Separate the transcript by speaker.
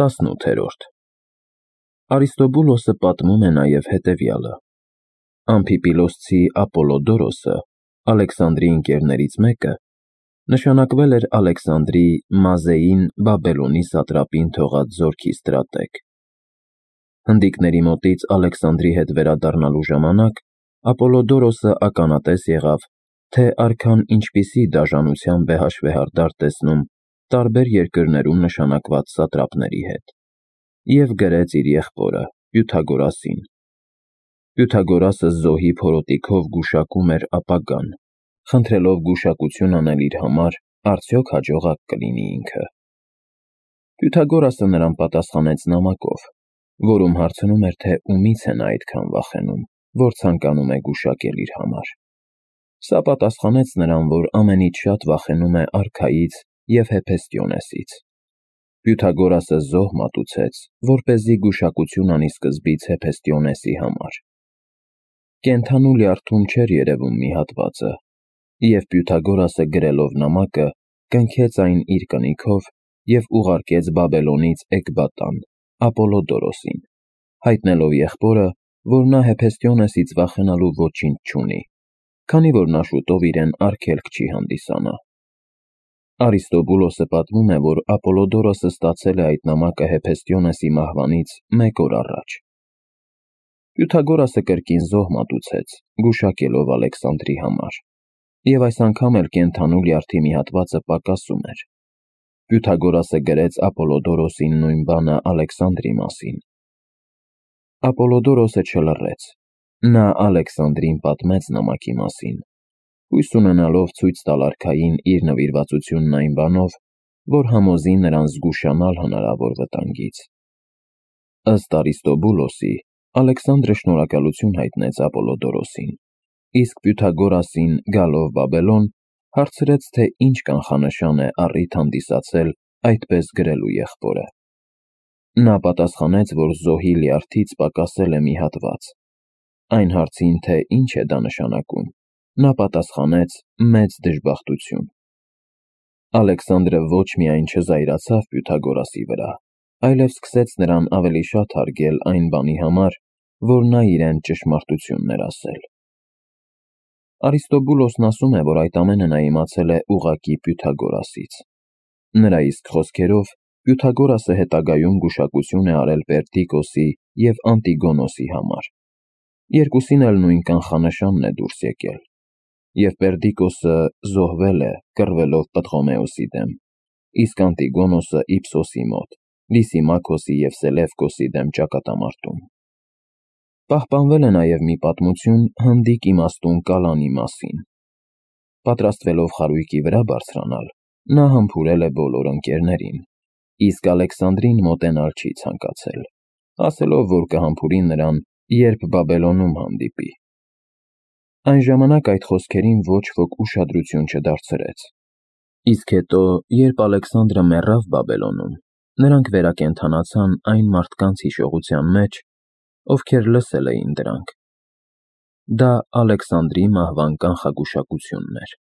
Speaker 1: 18-րդ Արիստոբուլոսը պատմում է նաև հետևյալը. Ամփիպիլոսցի Ապոլոդորոսը, Ալեքսանդրի ընկերներից մեկը, նշանակվել էր Ալեքսանդրի Մազեին Բաբելոնի սատրապին թողած զորքի ստրատեգ։ Հնդիկների մոտից Ալեքսանդրի հետ վերադառնալու ժամանակ Ապոլոդորոսը ականատես եղավ, թե արքան ինչպիսի դաժանությամբ է հաշվեհարդար տեսնում տարբեր երկրներում նշանակված սատրապների հետ, և գրեց իր եղբորը Պյութագորասին։ Պյութագորասը զոհի փորոտիքով գուշակում էր ապագան, խնդրելով գուշակություն անել իր համար, արդյոք հաջողակ կլինի ինքը։ Պյութագորասը նրան պատասխանեց նամակով, որում հարցնում էր, թե ումից է նա այդքան վախենում, որ ցանկանում է գուշակել իր համար։ Սա պատասխանեց նրան, որ ամենից շատ վախենում է արքայից և Հեփեստիոնեսից։ Պյութագորասը զոհ մատուցեց, որպեսզի գուշակություն անի սկզբից Հեփեստիոնեսի համար։ Կենդանու լյարդում չէր երևում մի հատվածը, և Պյութագորասը գրելով նամակը, կնքեց այն իր կնիքով և ուղարկեց Բաբելոնից Էկբատան, Ապոլոդորոսին, հայտնելով եղբորը, որ նա Հեփեստիոնեսից վախենալու ոչինչ չունի, քանի որ նա շուտով իրեն արգելք չի հանդիսանա։ Արիստոբուլոսը պատմում է, որ Ապոլոդորոսը ստացել է այդ նամակը Հեփեստիոնեսի մահվանից 1 օր առաջ։ Պյութագորասը կրկին զոհ մատուցեց, գուշակելով Ալեքսանդրի համար, և այս անգամ էլ կենդանու լյարդի մի հատվածը պակասում էր։ Պյութագորասը գրեց Ապոլոդորոսին նույն բանը Ալեքսանդրի մասին։ Ապոլոդորոսը չլռեց։ Նա Ալեքսանդրին պատմեց նամակի մասին, հույս ունենալով ցույց տալ արքային իր նվիրվածությունն այն բանով, որ համոզի նրան զգուշանալ հնարավոր վտանգից։ Ըստ Արիստոբուլոսի, Ալեքսանդրը շնորհակալություն հայտնեց Ապոլոդորոսին, իսկ Պյութագորասին, գալով Բաբելոն, հարցրեց, թե ինչ կանխանշան է առիթ հանդիսացել այդպես գրելու եղբորը։ Նա պատասխանեց, որ զոհի լյարդից պակասել է մի հատված։ Այն հարցին, թե ինչ է դա նշանակում, նա պատասխանեց մեծ դժբախտություն։ Ալեքսանդրը ոչ միայն չզայրացավ Պյութագորասի վրա, այլև սկսեց նրան ավելի շատ հարգել այն բանի համար, որ նա իրեն ճշմարտությունն էր ասել։ Արիստոբուլոսն ասում է, որ այդ ամենը նա իմացել է ուղղակի Պյութագորասից։ Նրա իսկ խոսքերով, Պյութագորասը հետագայում գուշակություն է արել Պերդիկոսի և Անտիգոնոսի համար։ Երկուսին էլ նույն կանխանշանն է դուրս եկել, և Պերդիկոսը զոհվել է, կռվելով Պտղոմեոսի դեմ, իսկ Անտիգոնոսը Իփսոսի մոտ, Լիսիմաքոսի և Սելևկոսի դեմ ճակատամարտում։ Պահպանվել է նաև մի պատմություն հնդիկ իմաստուն Կալանի մասին։ Պատրաստվելով խարույկի վրա բարձրանալ, նա համբուրել է բոլոր ընկերներին, իսկ Ալեքսանդրին մոտենալ չի ցանկացել, ասելով, որ կհամբուրի նրան, երբ Բաբելոնում հանդիպի։ Այն ժամանակ այդ խոսքերին ոչ ոք ուշադրություն չդարձրեց։ Իսկ հետո, երբ Ալեքսանդրը մեռավ Բաբելոնում, նրանք վերակենդանացան այն մարդկանց հիշողության մեջ, ովքեր լսել էին դրանք։ Դա Ալեքսանդրի մահվան կանխագուշակությունն էր։